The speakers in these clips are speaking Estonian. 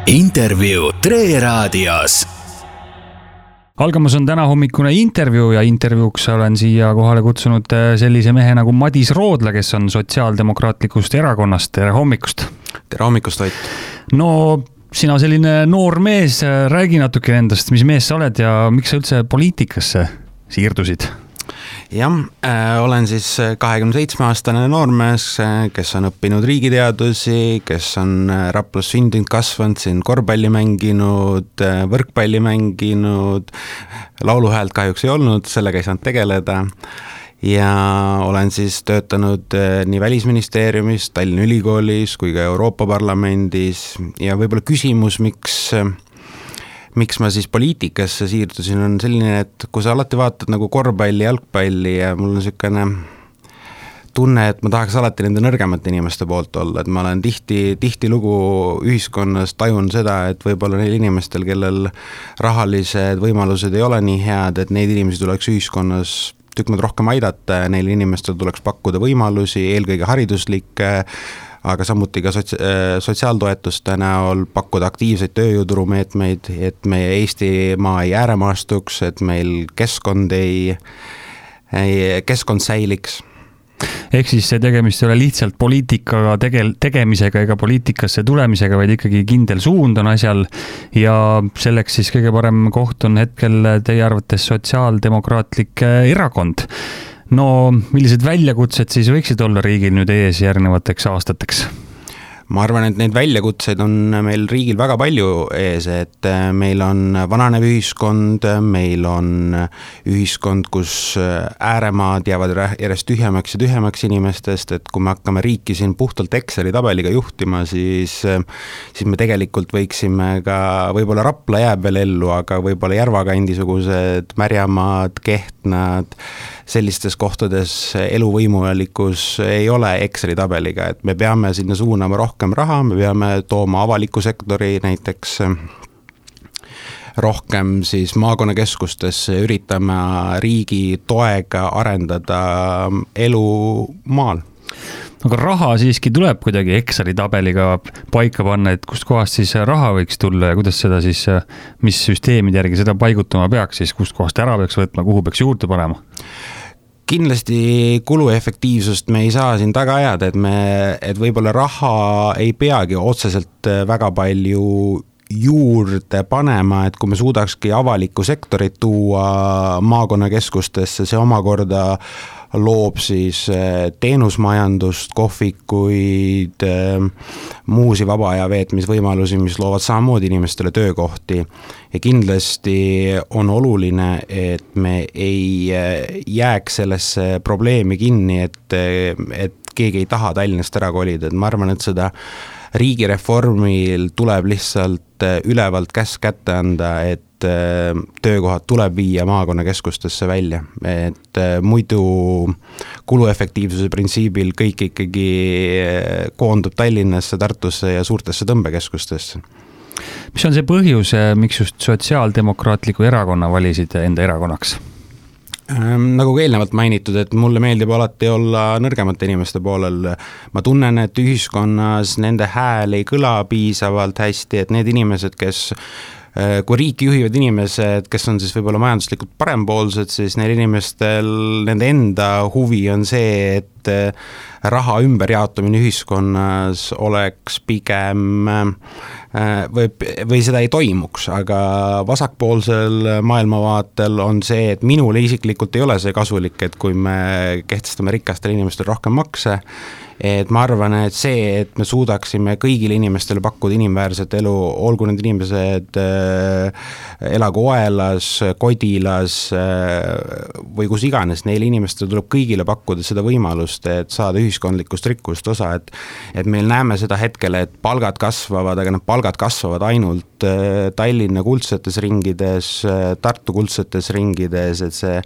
Intervjuu Tre Raadios. Algamas on täna hommikune intervjuu ja intervjuuks olen siia kohale kutsunud sellise mehe nagu Madis Roodla, kes on Sotsiaaldemokraatlikust erakonnast. Tere hommikust! Tere hommikust, Vait! No, sina selline noor mees, räägi natuke endast, mis mees sa oled ja miks sa üldse poliitikasse siirdusid? Jah, olen siis 27-aastane noormees, kes on õppinud riigiteadusi, kes on Raplas sündinud, kasvanud, siin korvpalli mänginud, võrkpalli mänginud, lauluhäält kahjuks ei olnud, sellega ei saanud tegeleda. Ja olen siis töötanud nii Välisministeeriumis, Tallinna Ülikoolis kui ka Euroopa Parlamendis ja võib-olla küsimus, miks ma siis poliitikasse siirdusin, on selline, et kui sa alati vaatad nagu korvpalli, jalgpalli ja mul on selline tunne, et ma tahaks alati nende nõrgemate inimeste poolt olla, et ma olen tihti lugu ühiskonnas tajun seda, et võib-olla neil inimestel, kellel rahalised võimalused ei ole nii head, et neid inimesi tuleks ühiskonnas tükk maad rohkem aidata ja neil inimestel tuleks pakkuda võimalusi, eelkõige hariduslikke, aga samuti ka sotsiaaltoetuste näol pakkuda aktiivseid tööjõuturumeetmeid, et meie Eestimaa ei ääremaastuks, et meil keskkond säiliks. Ehk siis see tegemist ei ole lihtsalt poliitikaga tegemisega ega poliitikasse tulemisega, vaid ikkagi kindel suund on asjal ja selleks siis kõige parem koht on hetkel teie arvates Sotsiaaldemokraatlik erakond. No, millised väljakutsed siis võiksid olla riigil nüüd ees järgnevateks aastateks? Ma arvan, et neid väljakutseid on meil riigil väga palju ees, et meil on vananev ühiskond, meil on ühiskond, kus ääremaad jäävad järjest tühjemaks ja tühjemaks inimestest, et kui me hakkame riiki siin puhtalt Exceli tabeliga juhtima, siis me tegelikult võiksime ka, võib-olla Rapla jääb veel ellu, aga võib-olla Järvakandisugused Märjamaad, Kehtnad, sellistes kohtades eluvõimulikkus ei ole Exceli tabeliga, et me peame sinna suunama rohkem raha, me peame tooma avaliku sektori näiteks rohkem siis maakonnakeskustesse, üritame riigi toega arendada elu maal. Aga raha siiski tuleb kuidagi Exceli tabeliga paika panna, et kust kohast siis raha võiks tulla ja kuidas seda siis, mis süsteemid järgi seda paigutama peaks, siis kust kohast ära peaks võtma, kuhu peaks juurde panema? Kindlasti kuluefektiivsust me ei saa siin taga ajada, et võib-olla raha ei peagi otseselt väga palju juurde panema, et kui me suudakski avalikku sektorit tuua maakonnakeskustesse, see omakorda loob siis teenusmajandust, kohvikuid, muusi vaba aja veetmisvõimalusi, mis loovad samamoodi inimestele töökohti. Ja kindlasti on oluline, et me ei jääks sellesse probleemi kinni, et keegi ei taha Tallinnast ära kolida. Et ma arvan, et seda riigireformil tuleb lihtsalt ülevalt käsk kätte anda, et töökohad tuleb viia maakonnakeskustesse välja, et muidu kuluefektiivsuse printsiibil kõik ikkagi koondub Tallinnasse, Tartusse ja suurtesse tõmbekeskustesse. Mis on see põhjus, miks just Sotsiaaldemokraatliku erakonna valisid enda erakonnaks? Nagu ka eelnevalt mainitud, et mulle meeldib alati olla nõrgemate inimeste poolel. Ma tunnen, et ühiskonnas nende hääl ei kõla piisavalt hästi, et need inimesed, kui riiki juhivad inimesed, kes on siis võib-olla majanduslikult parempoolsed, siis neil inimestel, nende enda huvi on see, et raha ümberjaotumine ühiskonnas oleks pigem või seda ei toimuks, aga vasakpoolsel maailmavaatel on see, et minule isiklikult ei ole see kasulik, et kui me kehtestame rikastele inimestele rohkem makse, et ma arvan, et see, et me suudaksime kõigile inimestele pakkuda inimväärset elu, olgu need inimesed elagu Oelas, Kodilas või kus iganes, neile inimestele tuleb kõigile pakkuda seda võimalust, et saada ühiskondlikust rikkust osa, et meil näeme seda hetkel, et palgad kasvavad, aga need palgad kasvavad ainult Tallinna kuldsetes ringides, Tartu kuldsetes ringides, et see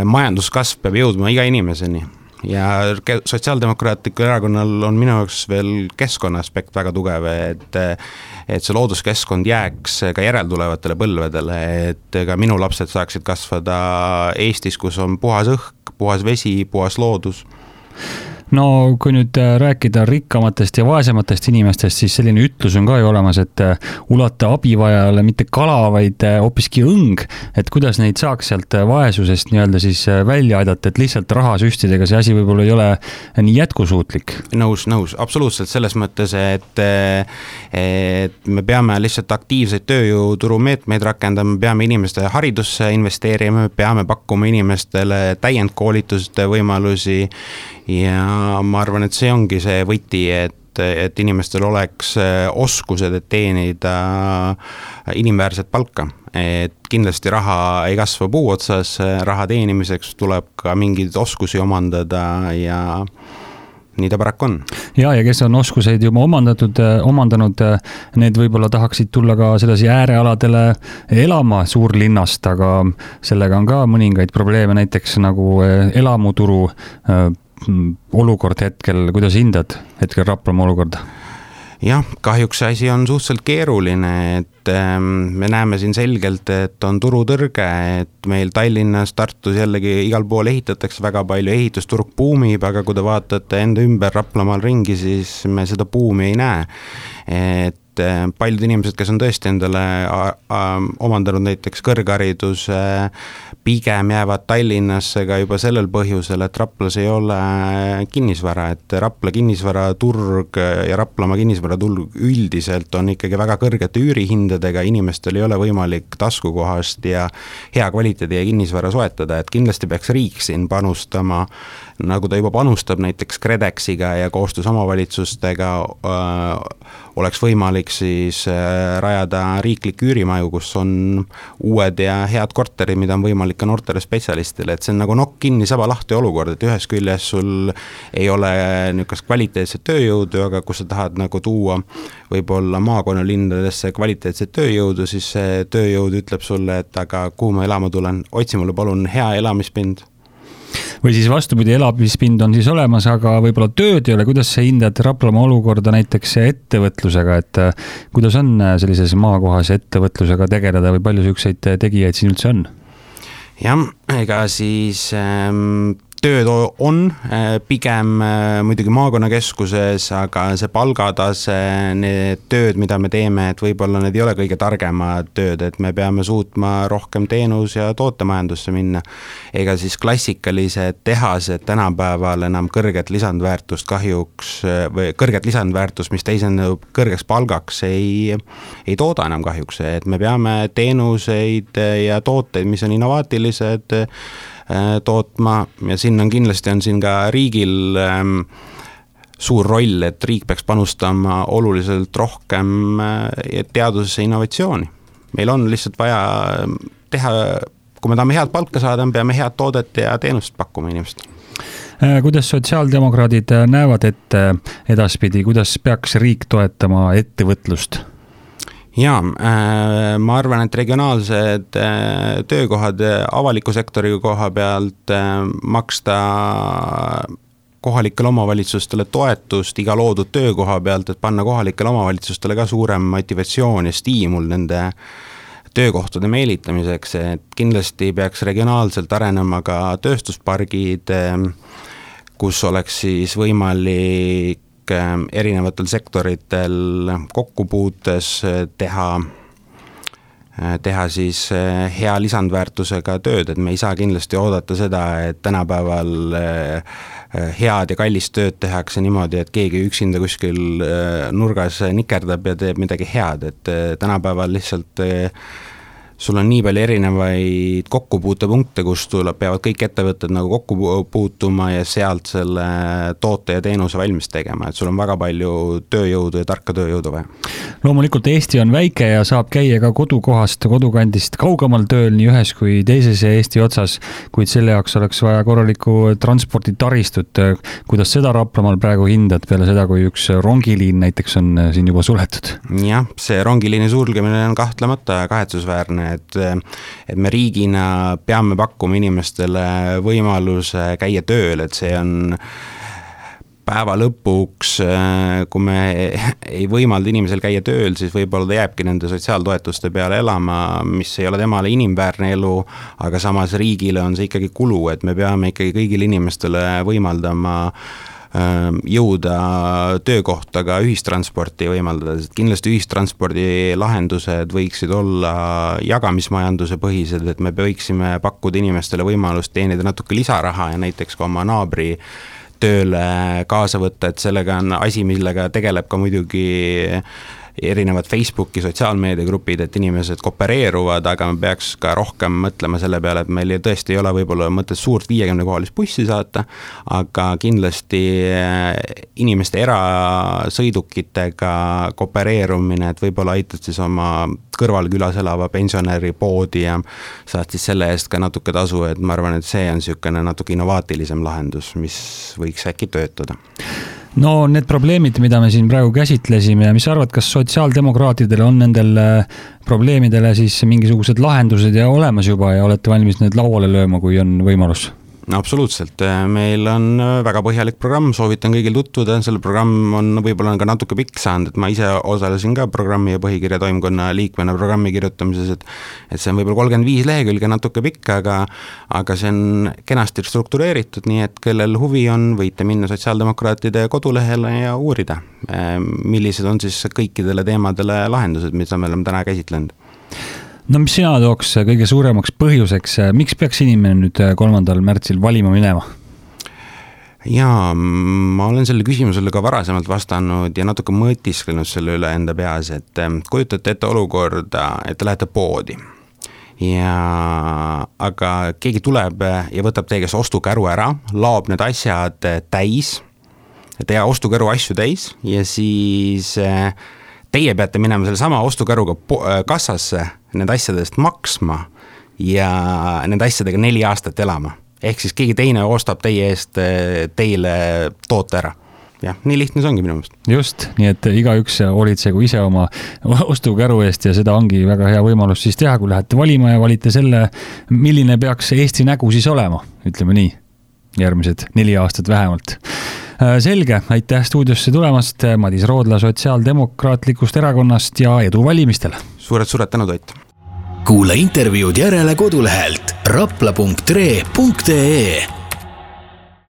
majanduskasv peab jõudma iga inimeseni. Ja Sotsiaaldemokraatlikul erakonnal on minu jaoks veel keskkonna aspekt väga tugev, et see looduskeskkond jääks ka järeltulevatele põlvedele, et ka minu lapsed saaksid kasvada Eestis, kus on puhas õhk, puhas vesi, puhas loodus. no kui nüüd rääkida rikkamatest ja vaesematest inimestest, siis selline ütlus on ka ju olemas, et ulata abivajale mitte kala, vaid hoopiski õng, et kuidas neid saaks sealt vaesusest nii-öelda siis välja aidata, et lihtsalt rahasüstidega see asi võib-olla ei ole nii jätkusuutlik. Nõus, absoluutselt selles mõttes, et me peame lihtsalt aktiivseid tööjõuturu meetmeid rakendama, me peame inimeste haridusse investeerima, me peame pakkuma inimestele täiendkoolituste võimalusi ja ma arvan, et see ongi see võti, et inimestel oleks oskused, et teenida inimväärset palka. Et kindlasti raha ei kasva puu otsas, raha teenimiseks tuleb ka mingeid oskusi omandada ja nii ta paraku on. Ja kes on oskuseid juba omandanud, need võib-olla tahaksid tulla ka sellesi äärealadele elama suurlinnast, aga sellega on ka mõningaid probleeme, näiteks nagu elamuturu olukord hetkel, kuidas hindad hetkel Raplamaa olukorda? Jah, kahjuks see asi on suhteliselt keeruline, et me näeme siin selgelt, et on turutõrge, et meil Tallinnas, Tartus jällegi igal pool ehitatakse väga palju, ehitusturg buumib, aga kui te vaatate enda ümber Raplamaal ringi, siis me seda buumi ei näe. Et paljud inimesed, kes on tõesti endale omandanud näiteks kõrghariduse, pigem jäävad Tallinnasse ka juba sellel põhjusel, et Raplas ei ole kinnisvara, et Rapla kinnisvaraturg ja Raplamaa kinnisvaraturg üldiselt on ikkagi väga kõrgete üürihindadega, inimestel ei ole võimalik taskukohast ja hea kvaliteedi kinnisvara soetada, et kindlasti peaks riik siin panustama, nagu ta juba panustab näiteks KredExiga ja koostöös omavalitsustega oleks võimalik siis rajada riiklik üürimaju, kus on uued ja head korterid, mida on võimalik ka noortele spetsialistile, et see on nagu nokk kinni saba lahti olukord, et ühes küljes sul ei ole niisugust kvaliteetset tööjõudu, aga kui sa tahad nagu tuua võib-olla maakonnalinnadesse kvaliteetset tööjõudu, siis see tööjõud ütleb sulle, et aga kuhu ma elama tulen, otsi mulle palun hea elamispind. Või siis vastupidi, elamispind on siis olemas, aga võib-olla tööd ei ole. Kuidas sa hindad Raplamaa olukorda näiteks ettevõtlusega, et kuidas on sellises maakohas ettevõtlusega tegeleda või palju selliseid tegijaid siin üldse on? Jah, ega siis tööd on pigem muidugi maakonnakeskuses, aga see palgatase, need tööd, mida me teeme, et võib-olla need ei ole kõige targemad tööd, et me peame suutma rohkem teenus- ja tootemajandusse minna. Ega siis klassikalised tehased tänapäeval enam kõrget lisandväärtust kahjuks, või kõrget lisandväärtust, mis teisendub kõrgeks palgaks, ei tooda enam kahjuks, et me peame teenuseid ja tooteid, mis on innovaatilised, tootma ja siin on ka riigil suur roll, et riik peaks panustama oluliselt rohkem teadusesse innovatsiooni. Meil on lihtsalt vaja teha, kui me tahame head palka saada, me peame head toodet ja teenust pakkuma inimestele. Kuidas sotsiaaldemokraadid näevad ette edaspidi, kuidas peaks riik toetama ettevõtlust? Jaa, ma arvan, et regionaalsed töökohad avaliku sektori koha pealt maksta kohalikele omavalitsustele toetust iga loodud töökoha pealt, et panna kohalikele omavalitsustele ka suurem motivatsioon ja stiimul nende töökohtade meelitamiseks, et kindlasti peaks regionaalselt arenema ka tööstuspargid, kus oleks siis võimalik erinevatel sektoritel kokkupuutes teha siis hea lisandväärtusega tööd, et me ei saa kindlasti oodata seda, et tänapäeval head ja kallist tööd tehakse niimoodi, et keegi üksinda kuskil nurgas nikerdab ja teeb midagi head, et tänapäeval lihtsalt sul on nii palju erinevaid kokkupuutepunkte, kus peavad kõik ettevõtted nagu kokku puutuma ja sealt selle toote ja teenuse valmis tegema, et sul on väga palju tööjõudu ja tarka tööjõudu vaja. Loomulikult Eesti on väike ja saab käia ka kodukohast, kodukandist kaugemal tööl nii ühes kui teises Eesti otsas, kuid selle jaoks oleks vaja korralikku transporditaristut. Kuidas seda Raplamaal praegu hindad peale seda, kui üks rongiliin näiteks on siin juba suletud? Jah, see rongiliini sulgemine on kahtlemata kahetsusväärne, et me riigina peame pakkuma inimestele võimaluse käia tööl, et see on päeva lõpuks, kui me ei võimalda inimesel käia tööl, siis võib-olla ta jääbki nende sotsiaaltoetuste peale elama, mis ei ole temale inimväärne elu, aga samas riigile on see ikkagi kulu, et me peame ikkagi kõigile inimestele võimaldama jõuda töökohta ka ühistransporti võimaldada, sest kindlasti ühistranspordi lahendused võiksid olla jagamismajanduse põhised, et me võiksime pakkuda inimestele võimalust teenida natuke lisaraha ja näiteks ka oma naabri tööle kaasa võtta, et sellega on asi, millega tegeleb ka muidugi erinevad Facebooki sotsiaalmeediagrupid, et inimesed koopereeruvad, aga me peaks ka rohkem mõtlema selle peale, et meil tõesti ei ole võib-olla mõtet suurt 50-kohalist bussi saata, aga kindlasti inimeste erasõidukitega koopereerumine, et võib-olla aitad siis oma kõrvalkülas elava pensionäri poodi ja saad siis selle eest ka natuke tasu, et ma arvan, et see on niisugune natuke innovaatilisem lahendus, mis võiks äkki töötada. No need probleemid, mida me siin praegu käsitlesime ja mis arvad, kas sotsiaaldemokraatidel on nendel probleemidele siis mingisugused lahendused ja olemas juba ja olete valmis need lauale lööma, kui on võimalus? Absoluutselt, meil on väga põhjalik programm, soovitan kõigil tutvuda, selle programm on võib-olla ka natuke pikk saanud, et ma ise osalesin ka programmi ja põhikirja toimkonna liikmena programmi kirjutamises, et see on võib-olla 35 lehekülge natuke pikk, aga see on kenasti struktureeritud, nii et kellel huvi on, võite minna sotsiaaldemokraatide kodulehele ja uurida, millised on siis kõikidele teemadele lahendused, mida me oleme täna käsitlenud. No mis sina tooks kõige suuremaks põhjuseks, miks peaks inimene nüüd 3. märtsil valima minema? Jaa, ma olen selle küsimusele ka varasemalt vastanud ja natuke mõtisklenud selle üle enda peas, et kujutate ette olukorda, et te lähete poodi. Aga keegi tuleb ja võtab teie käest ostukäru ära, laob need asjad täis, teie ostukäru asju täis ja siis teie peate minema selle sama ostukäruga kassasse nende asjadest maksma ja nende asjadega 4 aastat elama. Ehk siis keegi teine ostab teie eest teile toote ära. Jah, nii lihtne see ongi minu meelest. Just, nii et igaüks hoolitsegu ise oma ostukäru eest ja seda ongi väga hea võimalus siis teha, kui lähete valima ja valite selle, milline peaks Eesti nägu siis olema, ütleme nii, järgmised 4 aastat vähemalt. Selge, aitäh stuudiosse tulemast, Madis Roodla Sotsiaaldemokraatlikust erakonnast ja edu valimistele. Suured tänud, Ott. Kuula intervjuud järele kodulehelt rapla.tre.ee